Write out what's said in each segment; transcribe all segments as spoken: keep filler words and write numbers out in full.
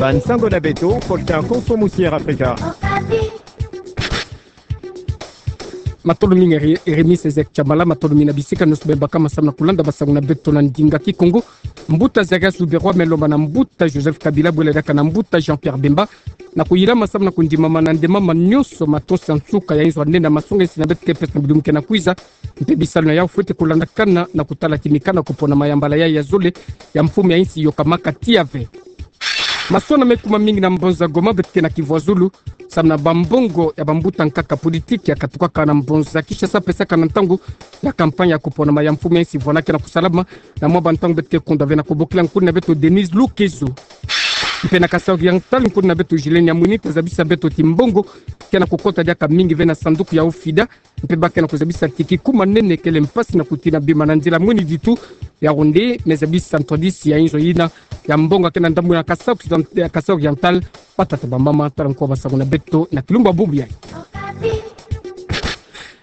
Bansango na beto, Kolta Konso Musier Afrika. Matondo mingi, Re-, Rémi Césaire Tshamala, matondo mingi na bisika nionso beno baka masamu na kulanda basango na beto na ndinga Kikongo. Mbuta Zacharias Luberwa me lomba na mbuta Joseph Kabila, bwela diaka na mbuta Jean-Pierre Bemba, na kuyilama samu na kundimama na ndemama nionso matosi ya nsuka ya inzo ya nene ya masonga insi na beto ke pesa na bilumbu ke na kwiza. Mpe bisalu na yau fwete kulandakana na kutala ti mikanda kuponama ya mbala yayi ya zole ya mfumu ya insi yokamaka tiya ve. Masona me kuma mingi na mbonza Goma beto ke na kivwazulu samu na bambongo ya bambuta nkaka politiki ya katukaka na mbonza Kinshasa pesaka na ntangu ya campagne ya kuponama ya mfumu ya insi vwana ke na kusalama na mwa bantangu beto ke kunda ve na kubokila nkuni na beto Denise Lukezo. Mpe na Kasaï Oriental, nkuni na beto Julien Nyamwini ta zabisa beto ti mbongo ke na kukota diaka mingi ve na sanduku ya OFIDA, mpe ba ke na kuzabisa ti kikuma nene kele mpasi na kutina bima na nzila mwini ditu. Yaoundé me zabisa ntwadisi ya inzo yina ya mbongo ke na ndambu na Kasaï Occident-, ya Kasaï Oriental. Batata bamama, tala nko basango na beto na kilumbu ya bubu yayi.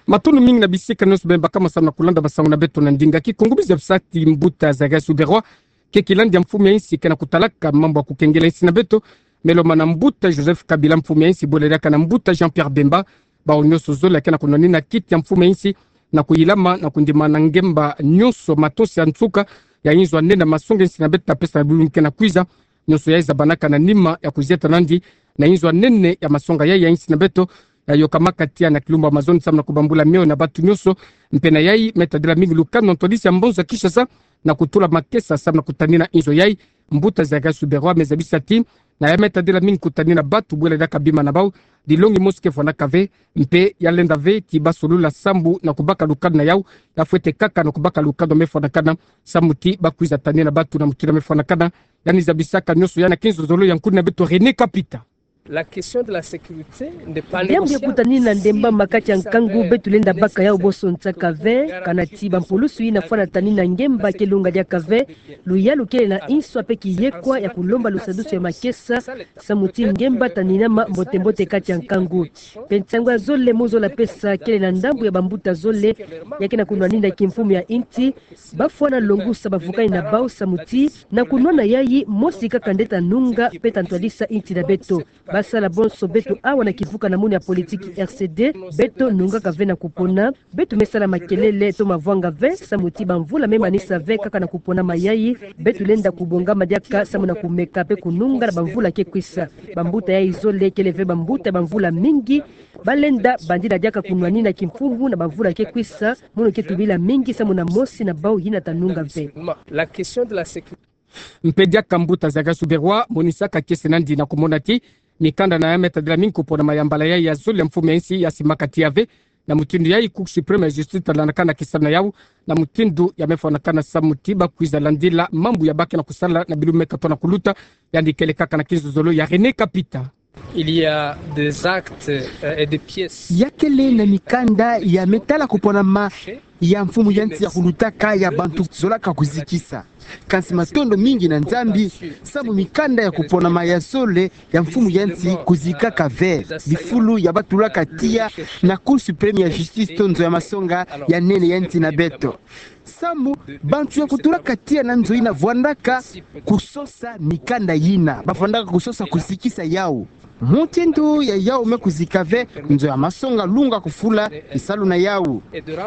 Matondo mingi na bisika nionso beno baka masamu na kulanda basango na beto na ndinga Kikongo. Biza bisati mbuta Zacharias Luberwa ke kilandi ya mfumu ya insi ke na kutalaka mambu ya kukengela insi na beto, me lomba na mbuta Joseph Kabila, mfumu ya insi, bwela diaka na mbuta Jean-Pierre Bemba, bawu nionso zole ke na kunwanina kiti ya mfumu ya insi na kuyilama na kundima na ngemba nionso matosi ya nsuka ya inzo ya nene ya masonga insi na beto ta pesa na bilumbu ke na kwiza. Nionso yayi zabanaka na nima ya kuzieta nandi na inzo ya nene ya masonga yayi ya insi na beto ya yokamaka tiya na kilumbu ya mazono samu na kubambula mio na batu nionso. Mpe na yayi me tadila mingi lukanu na ntwadisi ya mbonza Kinshasa na kutula makesa samu na kutanina inzo yayi. Mbuta Zacharias Luberwa me zabisa ti na ya me tadila mingi kutanina batu bwela diaka bima na bawu, dilongi mosi ke vwanaka ve, mpe ya lenda ve ti ba solula sambu na kubaka lukanu na yau. Ya fwete kaka na kubaka lukanu me vwanakana samu ti ba kwiza tanina batu na mutindu me vwanakana. Yandi zabisaka nionso yayi na kinzozolo ya nkuni na beto René Kapita. La question de la sécurité n'est pas négociable. Diambu ya kutanina ndemba ma kati ya nkangu beto lenda baka yau boso nsaka ve, kana ti bampulusu yina fwana tanina ngemba ke lunga diaka ve. Luyalu kele na inso mpe kiyekwa ya kulomba lusadusu ya makesa samu ti ngemba taninama mbote-mbote kati ya nkangu. Mpe nsangu ya zole mu zola pesa kele na ndambu ya bambuta zole ya ke na kunwanina kimfumu ya insi, ba fwana longusa bavukani na bawu samu ti na kunwana yayi mosi kaka nde ta nunga mpe ta ntwadisa insi na beto. Ba sala bonso beto awa na kivuka na munu ya politiki R C D, beto nungaka ve na kupona, beto me sala makelele to mavwanga ve samu ti bamvula me manisa ve kaka na kupona mayayi. Beto lenda kubongama diaka samu na kumeka mpe kununga na bamvula ke kwisa. Bambuta yayi zole kele ve bambuta ya bamvula mingi, ba lenda bandila diaka kunwanina kimfumu na bamvula ke kwisa, mono ke tubila mingi samu na mosi na bawu yina ta nunga ve. La question de la sécurité. Mpe diaka mbuta Zacharias Luberwa monisaka kiese nandi na kumona ti mikanda na ya me tadila mingi kuponama ya mbala yayi ya zole ya mfumu ya insi ya simaka tiya ve. Na mutindu yayi Cour suprême ya justice ta landakana kisalu na yau na mutindu ya me vwanakana samu ti ba kwiza landila mambu ya ba ke na kusala na bilumbu me katoa na kuluta. Yandi kele kaka na kinzozolo ya René Kapita. Il y a des actes, euh, et des pièces. Ya kele na mikanda ya me tala kuponama ya mfumu ya insi ya kulutaka ya bantu zolaka kuzikisa. Kansi matondo mingi na Nzambi samu mikanda ya kuponama ya zole ya mfumu ya insi kuzikaka ve bifulu ya ba tulaka tiya na Cour suprême ya justice to nzo ya masonga ya nene ya insi na beto. Samu bantu ya kutulaka tiya na nzo yina vwandaka kusosa mikanda yina, ba vwandaka kusosa kuzikisa yau. Mutindu ya yau me kuzika ve, nzo ya masonga lunga kufula kisalu na yau.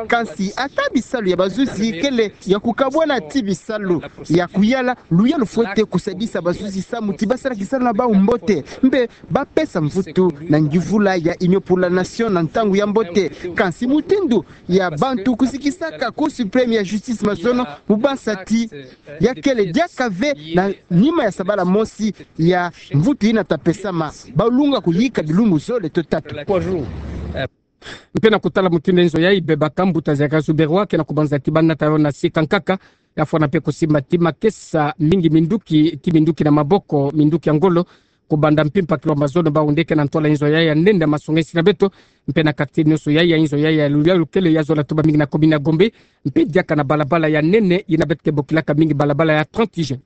Kansi ata bisalu ya bazuzi kele ya kukabwana ti bisalu ya kuyala, luyalu fwete kusadisa bazuzi samu ti ba sala kisalu na bawu mbote, mpe ba pesa mvutu na nguvula ya Union pour la Nation na ntangu ya mbote. Kansi mutindu ya bantu kuzikisaka Cour suprême ya justice mazono, mu bansa ti ya kele diaka ve na nima ya sabala mosi ya mvutu yina ta pesama. Ba lunga kuyika bilumbu zole to tatu. Mpe na kutala mutindu nzo yayi bebaka, mbuta Zacharias Luberwa ke na kubanza ti ba nata yo na sika nkaka, ya fwana mpe kusimba ti makesa mingi minduki, ti minduki na maboko, minduki ya ngolo, kubanda mpimpa kilomètre mazono bawu nde ke na ntwala inzo yayi ya nene ya masonga insi na beto, mpe na quartier nionso yayi ya inzo yayi ya luyalu kele ya zola tuba mingi na commune ya Gombe, mpe diaka na balabala ya nene yina beto ke bokilaka mingi balabala ya trente juin.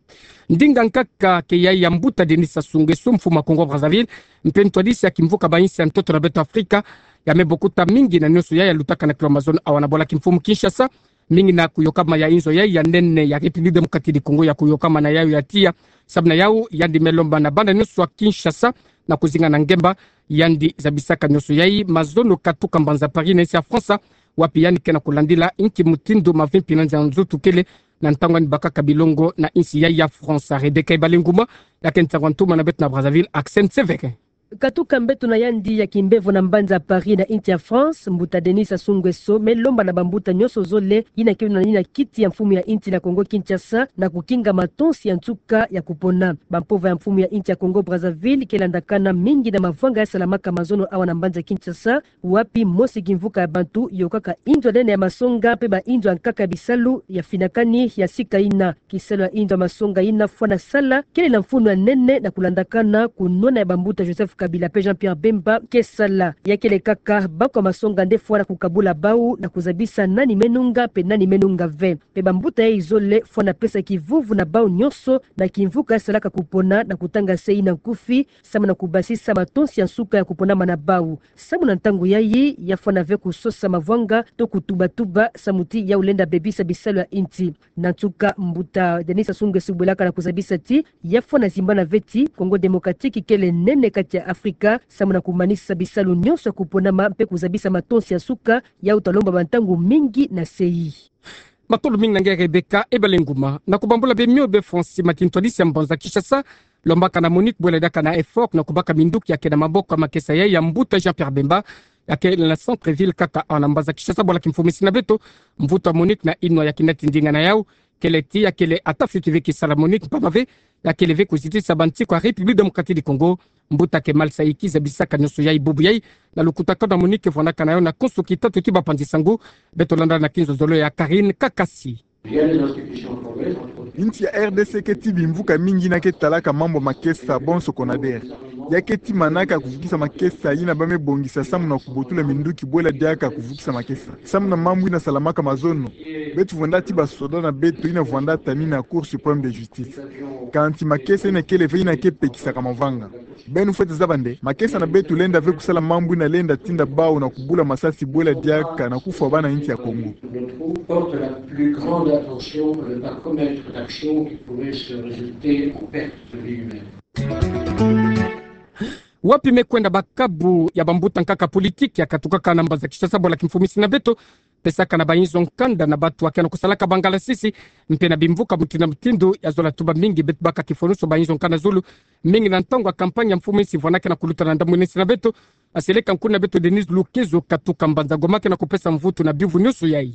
Ndinga nkaka ke yayi ya mbuta Denis Sassou Nguesso, mfumu ya Congo Brazzaville, mpe ntwadisi ya kimvuka ba insi ya ntoto na beto Afrika, ya me bokuta mingi na nionso yayi ya lutaka na kilomètre mazono awa na bwala kimfumu Kinshasa, Mingi na kuyokama ya inzo yai ya nene ya République Démocratique du Congo ya kuyokama na yayo ya tiya. Samu na yayo, yandi me lomba na bana nyonso ya Kinshasa na kuzinga na ngemba, yandi zabisaka nyonso yai mazono katuka mbanza Paris na insi ya France, wapi yandi ke na kulandila inki mutindu mavimpi na nza nzoto kele na ntangu yandi bakaka bilongo na insi yai ya France. Rebecca Ibalenguma, ya ke nsangu ya ntoma na beto na Brazzaville, Axel Nseveke. Katuka mbeto na yandi ya kimbevo na mbanza Paris na insi ya France, mbuta Denis Sassou Nguesso me lomba na bambuta nyonso zole yina ke na yina kiti ya mfumu ya insi na Congo Kinshasa na kukinga matonsi ya nsuka ya kupona. Bampova ya mfumu ya insi ya Congo Brazzaville ke landakana mingi na mavanga ya salamaka mazono awa na mbanza Kinshasa, wapi mosi kimvuka ya bantu yokaka inzo ya nene ya masonga mpe ba inzo ya nkaka ya bisalu ya finakani ya sika yina. Kisalu ya inzo ya masonga yina fwana sala kele na mfunu ya nene na kulandakana kunwana ya bambuta Joseph Kabila mpe Jean-Pierre Bemba ke sala. Ya kele kaka bako ya masonga nde fwana kukabula bau na kuzabisa nani me nunga mpe nani me nunga ve. Mpe bambuta yai zole fwana pesa kivuvu na bau nyonso na kimvuka ya salaka kupona na kutanga se yina nkufi, samu na kubasisa matonsi ya nsuka ya kuponama na bau. Samu na ntangu yai, ya fwana ve kusosa mavanga to kutubatuba samu ti yayo lenda bebisa bisalu ya insi. Na nsuka, mbuta Denis Sassou Nguesso bwelaka na kuzabisa ti ya fwana zimbana ve ti Congo Démocratique kele nene kati ya Afrika, samu na kumanisa bisalu nyonso ya kuponama mpe kuzabisa matonsi ya nsuka yayo ta lomba bantangu mingi na sei. Matondo mingi na nge Rebecca Ibalenguma. Na kubambula bemio be Francis Matin, ntwadisi ya mbanza Kinshasa, lombaka na Monique bwela diaka na effort na kubaka minduki ya ke na maboko ya makesa yai ya mbuta Jean-Pierre Bemba, ya kele na centre-ville kaka awa na mbanza Kinshasa. Bwala kimfumisi na beto, mvutu ya Monique na inwa ya kina ti ndinga na yayo, kele ti ya kele ata fioti ve kisala Monique mpamba ve ya kele ve kuzitisa bantiko ya République Démocratique du Congo. Mbuta Kemal Saïki zabisaka nyonso yai. Bubu yai na lukutakanu ya Monique vwandaka na yayo na konso kitatu ti bapanzi sango. Beto landa na kinzonzolo ya Karine Kakasi. Insi ya R D C ke ti bimvuka mingi yina ke talaka mambu ya makesa, bonso CONADER. Ya ke ti manaka kuvukisa makesa yina ba me bongisa samu na kubotula minduki bwela diaka kuvukisa makesa. Samu na mambu yina salamaka mazono, beto vwanda ti basoda na beto yina vwanda tani na Cour suprême de justice. Kansi makesa yina kele ve yina ke pekisaka mavanga. Beno fwete zaba nde makesa na beto lenda ve kusala mambu yina lenda tinda bau na kubula masasi bwela diaka na kufwa bana insi ya Congo. Porte la plus grande attention à ne pas commettre d'action qui pourrait se résulter en perte de vie humaine. Wapi me kwenda bakabu ya bambuta nkaka politique ya katukaka na mbanza Kinshasa? Bwala kimfumisi na beto, pesaka na bainzo nkanda na batu ya ke na kusalaka bangalasisi mpe na bimvuka mutindu na mutindu, ya zola tuba mingi beto baka kifwanuso bainzo nkanda zulu, mingi na ntangu ya campagne ya mfumu insi vwanda ke na kuluta na ndambu na insi na beto. Aseleka nkuna beto Denise Lukezo katuka mbanza Goma ke na kupesa mvutu na biuvu nyonso yai.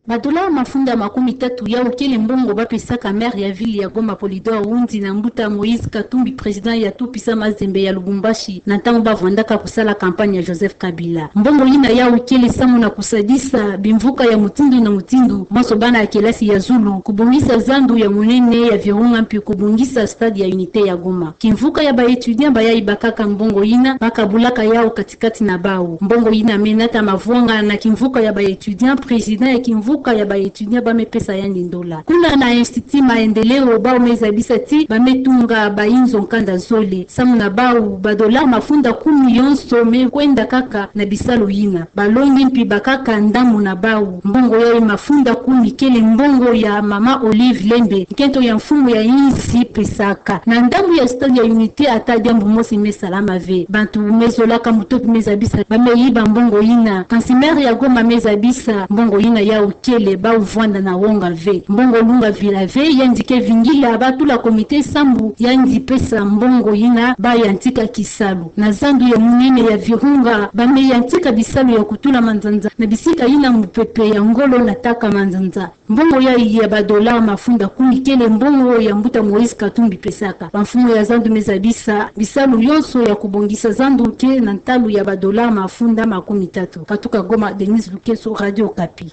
Ba dollars mafunda makumi tatu yawu kele mbongo ba pesaka maire ya ville ya Goma Polydor Woundi na mbuta Moïse Katumbi, président ya Tout Puissant Mazembe ya Lubumbashi, na ntangu ba vwandaka kusala campagne ya Joseph Kabila. Mbongo yina yawu kele samu na kusadisa bimvuka ya mutindu na mutindu, bonso bana ya kelasi ya zulu, kubongisa zandu ya munene ya virunga mpi kubongisa stade ya Unité ya Goma. Kimvuka ya ba étudiants bayayi bakaka mbongo yina, ba kabulaka yawu kati kati na bawu. Mbongo yina me nata mavwanga na kimvuka ya ba étudiants, président ya kimvuka ya ba étudiants ba me pesa yandi ndola. Kuna na Institut Maendeleo bawu me zabisa ti ba me tunga bainzo nkanda zole. Samu na bawu, ba dollars mafunda kumi yonso me kwenda kaka na bisalu yina. Balongi mpi bakaka ndambu na bawu. Mbongo yayi mafunda kumi kele mbongo ya mama Olive Lembe, nkento ya mfumu ya insi, pesaka. Na ndambu ya stade ya Unité ata diambu mosi me salama ve. Bantu me zolaka mutopi me zabisa ba me yiba mbongo yina. Kansi maire ya Goma me zabisa mbongo yina yawu kele, bawu vwanda na wonga ve. Mbongo lunga vila ve, yandi ke vingila ba tula comité sambu yandi pesa mbongo yina ba yantika kisalu. Na zandu ya munene ya virunga, ba me yantika bisalu ya kutula manzanza na bisika yina mupepe ya ngolo nataka manzanza. Mbongo yayi ya ba dollars mafunda kumi kele mbongo ya mbuta Moïse Katumbi pesaka. Bamfumu ya zandu me zabisa bisalu yonso ya kubongisa zandu ke na ntalu ya ba dollars mafunda makumi tatu. Katuka Goma, Denise Lukezo, Radio Okapi.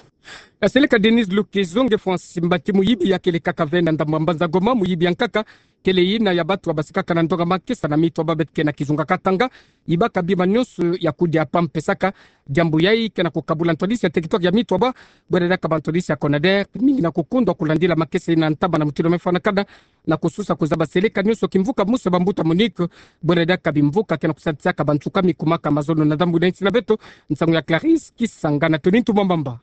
Aseleka Denise Lukezo. Nge Francis Mbati, muyibi ya kele kaka ve na ndambu ya mbanza Goma, muyibi ya nkaka kele yina ya batu ya basikaka na ndonga makesa na mitwaba beto ke na kizunga Katanga, yibaka bima nyonso ya kudia pa mpesaka. Diambu yayi ke na kukabula ntwadisi ya territoire ya mitwaba, bwela diaka bantwadisi ya CONADER, mingi na kukundwa kulandila makesa yina ntaba na mutindu me fwanakana, na kususa kuzaba seleka nyonso kimvuka mosi ya bambuta Monique, bwela diaka bimvuka ke na kusadisaka bansuka mi kumaka mazono. Na ndambu na insi na beto, nsangu ya Clarisse Kisanga na Tony Ntumwa Mbamba.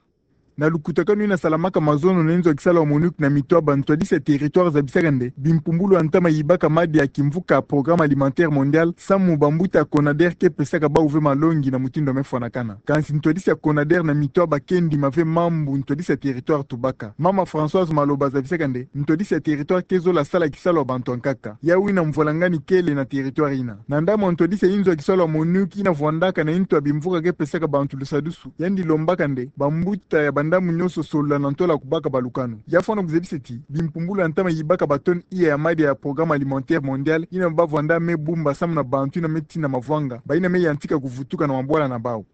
Na lukutakanu ina salamaka mazono na inzo ya kisalu ya MONUC na mito ya bantwadisi ya territoire zabisaka nde bimpumbulu ya ntama yibaka madia ya kimvuka ya Programme Alimentaire Mondial, samu bambuta ya CONADER ke pesaka bawu ve malongi na mutindu ya me fwanakana. Kansi ntwadisi ya CONADER na mito ya ba ke ndima ve mambu ntwadisi ya territoire tubaka. Mama Françoise Maloba zabisaka nde ntwadisi ya territoire ke zola sala kisalu ya bantu ya nkaka. Yawu ina mvwalangani kele na territoire ina. Na ndambu ya ntwadisi ya inzo ya kisalu ya MONUC ina vwandaka na nto ya bimvuka ke pesaka bantu lusadusu, yandi lombaka nde bambuta ya bandambu nyonso solola na ntola kubaka balukanu. Ya fwana kuzebi se ti bimpumbulu ya ntama yibaka ba tonne iya ya madia ya Programme Alimentaire Mondial ina bavwanda me bumba samu na bantu ina me tina mavwanga, ba ina me yantika kuvutuka na mabwala na bawu.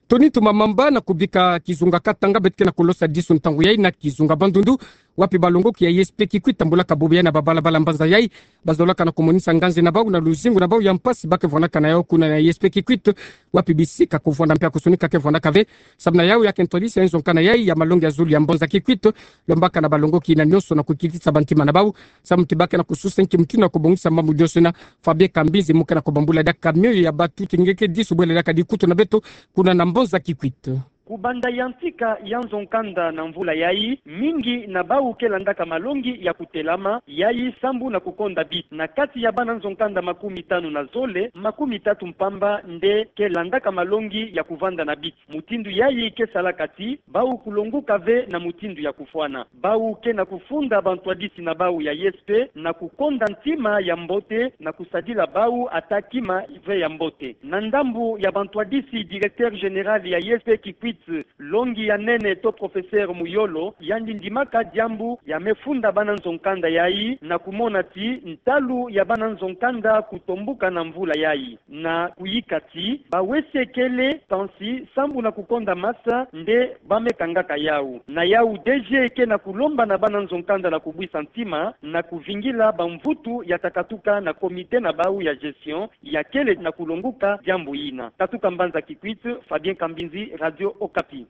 Tony Tumamamba na kubika kizunga Katanga beto ke na kulosa disu ntangu yayi na kizunga Bandundu, wapi balongoki ya I S P Kikwit tambulaka bubu yayi na babalabala mbanza yayi. Bazolaka na kumonisa nganzi na bawu na luzingu na bawu ya mpasi ba ke vwanaka na yawu kuna na I S P Kikwit, wapi bisika kuvwanda mpe ya kusunika ke vwandaka ve. Samu na yawu ya ke ntwadisi ya inzo nkanda yayi ya malongi ya zulu ya mbanza Kikwit, lombaka na balongoki ina nyonso na kukitisa bantima na bawu, samu ti ba ke na kususa nki mutindu na kubongisa mambu nyonso ina. Fabien Kambinzi mu ke na kubambula diaka mioyo ya batu ti nge ke disu bwele diaka dikutu na beto kuna na mbanza Kikwit. Kubanda yantika ya nzo nkanda na mvula yayi, mingi na bawu ke landaka malongi ya kutelama yayi sambu na kukonda biti. Na kati ya bana nzo nkanda makumi tanu na zole, makumi tatu mpamba nde ke landaka malongi ya kuvanda na biti. Mutindu yayi ke salaka ti bawu kulonguka ve na mutindu ya kufwana. Bawu ke na kufunda bantwadisi na bawu ya I S P na kukonda ntima ya mbote na kusadila bawu ata kima ve ya mbote. Na ndambu ya bantwadisi, directeur général ya I S P Kikwit, longi ya nene to professeur Muyolo, yandi ndimaka diambu ya me funda bana nzo nkanda yayi na kumona ti ntalu ya bana nzo nkanda kutombuka na mvula yayi. Na kuyika ti bawese kele, kansi sambu na kukonda masa nde ba me kangaka yawu. Na yawu D G ke na kulomba na bana nzo nkanda na kubwisa ntima na kuvingila bamvutu ya ta katuka na comité na bawu ya gestion ya kele na kulonguka diambu yina. Katuka mbanza Kikwit, Fabien Kambinzi, Radio Okapi.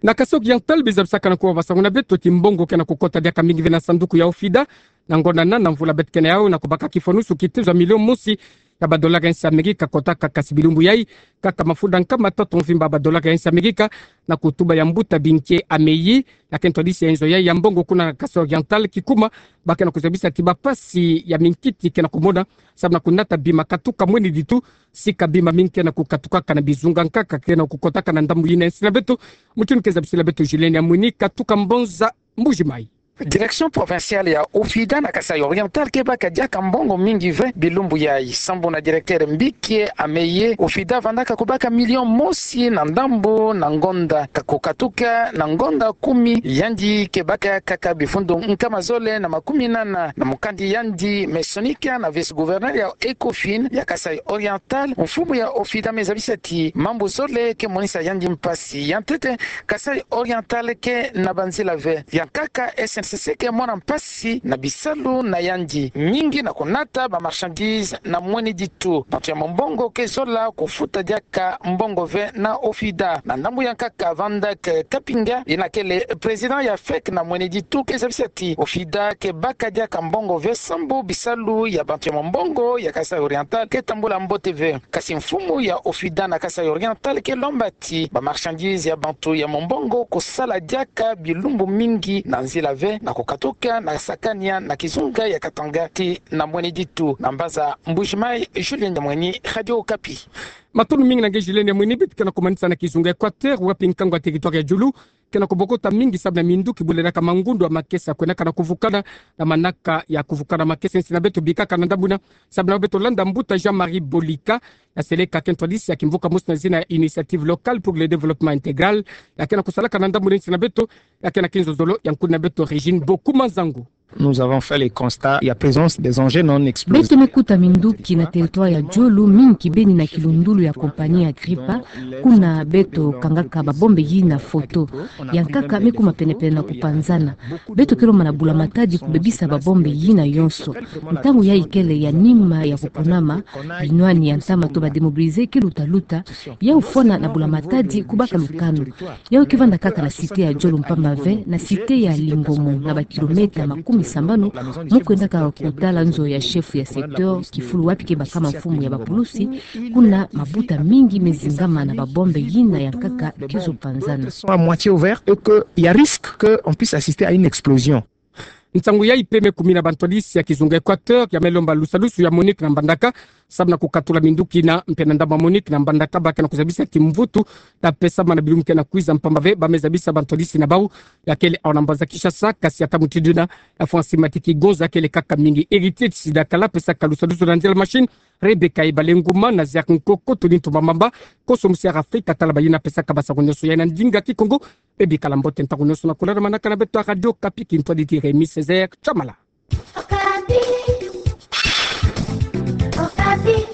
Na Kasaï Oriental, biza bisaka na kuwa basangu na beto ti mbongo ke na kukota diaka mingi ve na sanduku ya OFIDA. Na ngonda nana mvula beto ke na yawu na kubaka kifwanusu kitezo ya milion mosi ya badolaka ya insi Amerika kotaka, kasi bilumbu yayi kaka mafuta nkama tatu mvimba badolaka ya insi Amerika na kutuba ya mbuta Binke Ameyi, ya ke ntwadisi ya inzo yayi ya mbongo kuna Kasaï Oriental, kikuma ba ke na kuzabisa ti bampasi ya minkiti ke na kumona samu na kunata bima katuka mweni ditu, sika bima mingi ke na kukatukaka na bizunga nkaka ke na kukotaka na ndambu yina ya insi na beto. Mutindu ke zabisila beto Julien Yamwini, katuka Mbanza, Mbuji-Mayi. Direction provinciale ya OFIDA na Kasaï Oriental ke baka diaka mbongo mingi ve bilumbu yayi. Sambu na directeur Mbike Ameye, OFIDA vandaka kubaka milion mosi na ndambu na ngonda ka kukatuka na ngonda kumi, yandi ke baka kaka bifundundu nkama zole na makumi nana na mukandi yandi me sonika na vice-gouverneur ya ECOFIN ya Kasaï Oriental. Mfumu ya OFIDA me zabisa ti mambu zole ke monisa yandi mpasi. Ya ntete, Kasaï Oriental ke na banzila ve. Ya nkaka, SNCC ke mona mpasi na bisalu na yandi, mingi na kunata ba marchandises na mweni ditu. Bantu ya mombongo ke zola kufuta diaka mbongo ve na OFIDA. Na ndambu ya nkaka, Van Dyck Kapinga, yina kele président ya FEC na mweni ditu, ke zabisa ti OFIDA ke baka diaka mbongo ve sambu bisalu ya bantu ya mombongo ya Kasaï Oriental ke tambula mbote ve. Kasi mfumu ya OFIDA na Kasaï Oriental ke lomba ti ba marchandises ya bantu ya mombongo kusala diaka bilumbu mingi na nzila ve na kukatuka na sakania na kizunga ya Katanga tii na mweni ditu. Na Mbanza, Mbuji-Mayi, Julien Yamwini, Radio Okapi. Matondo mingi na nge Julien Yamwini. Beto ke na kumanisa na kizunga Equateur, wapi nkangu ya territoire ya Djulu ke na kubokota mingi sabu na minduki buledaka mangundu ya makesa kwenaka na kuvukana na manaka ya kuvukana makesa ya insi na beto. Bikaka na ndambu yina, sabu na beto landa mbuta Jean-Marie Bolika, ya seleka ke ntwadisi ya kimvuka mosi na zina ya Initiative Locale pour le Développement Intégral, ya ke na kusalaka na ndambu na insi na beto, ya ke na kinzozolo ya nkuni na beto Régine Bokuma Nzangu. Nous avons fait le constat, il y a présence des engins non explosifs. Beto me kuta minduki na territoire ya Djulu, mingi kibeni na kilundulu ya compagnie Agripa, kuna beto kangaka ba bombe yina foto. Ya nkaka me kuma penepene na kupanzana. Beto ke lomba na bula-matadi kubebisa ba bombe yina yonso. Ntangu yayi kele ya nima ya kuponama, binwani ya ntama to ba démobilisés ke lutaluta, yawu fwana na bula-matadi kubaka lukanu. Yawu ke vanda kaka na cité ya Djulu mpamba ve, na cité ya Lingomo, na ba kilomètre makumi Sambanu, mu kwendaka kutala nzo ya shefu ya secteur, kifulu wapi ke bakama mfumu ya bapulusi, kuna mabuta mingi mezingama na babombe yina yankaka kizopanzana. Sont à moitié ouverts et qu'il y a risque qu'on puisse assister à une explosion. Nsangu yayi peme kumina bantwadisi ya kizunga Equateur, ya me lomba lusalusu ya MONUC na mbandaka, samu na kukatula minduki na mpena ndambu ya MONUC na mbandaka, ba ke na kuzabisa kimvutu, ta pesa mana bilumbu ke na kwiza mpamba ve, ba me zabisa bantwadisi na bau, ya kele awa na mbanza Kinshasa, kasi ata mutindu yina, ya François Matiki Gonza kele kaka mingi. Héritier Tshisidakala pesaka lusalusu na nzila machine, Rebecca Ibalenguma na Ziak Nkoko, Tony Ntumamamba, koso musi ya Afrika, tala bayina pesaka basango nyonso ya na ndinga Kikongo, bebikala mbote ntangu nyonso na kulala manaka na beto ya Radio Okapi, kintwadi ti Rémy Césaire Tshamala. Okapi. Okapi.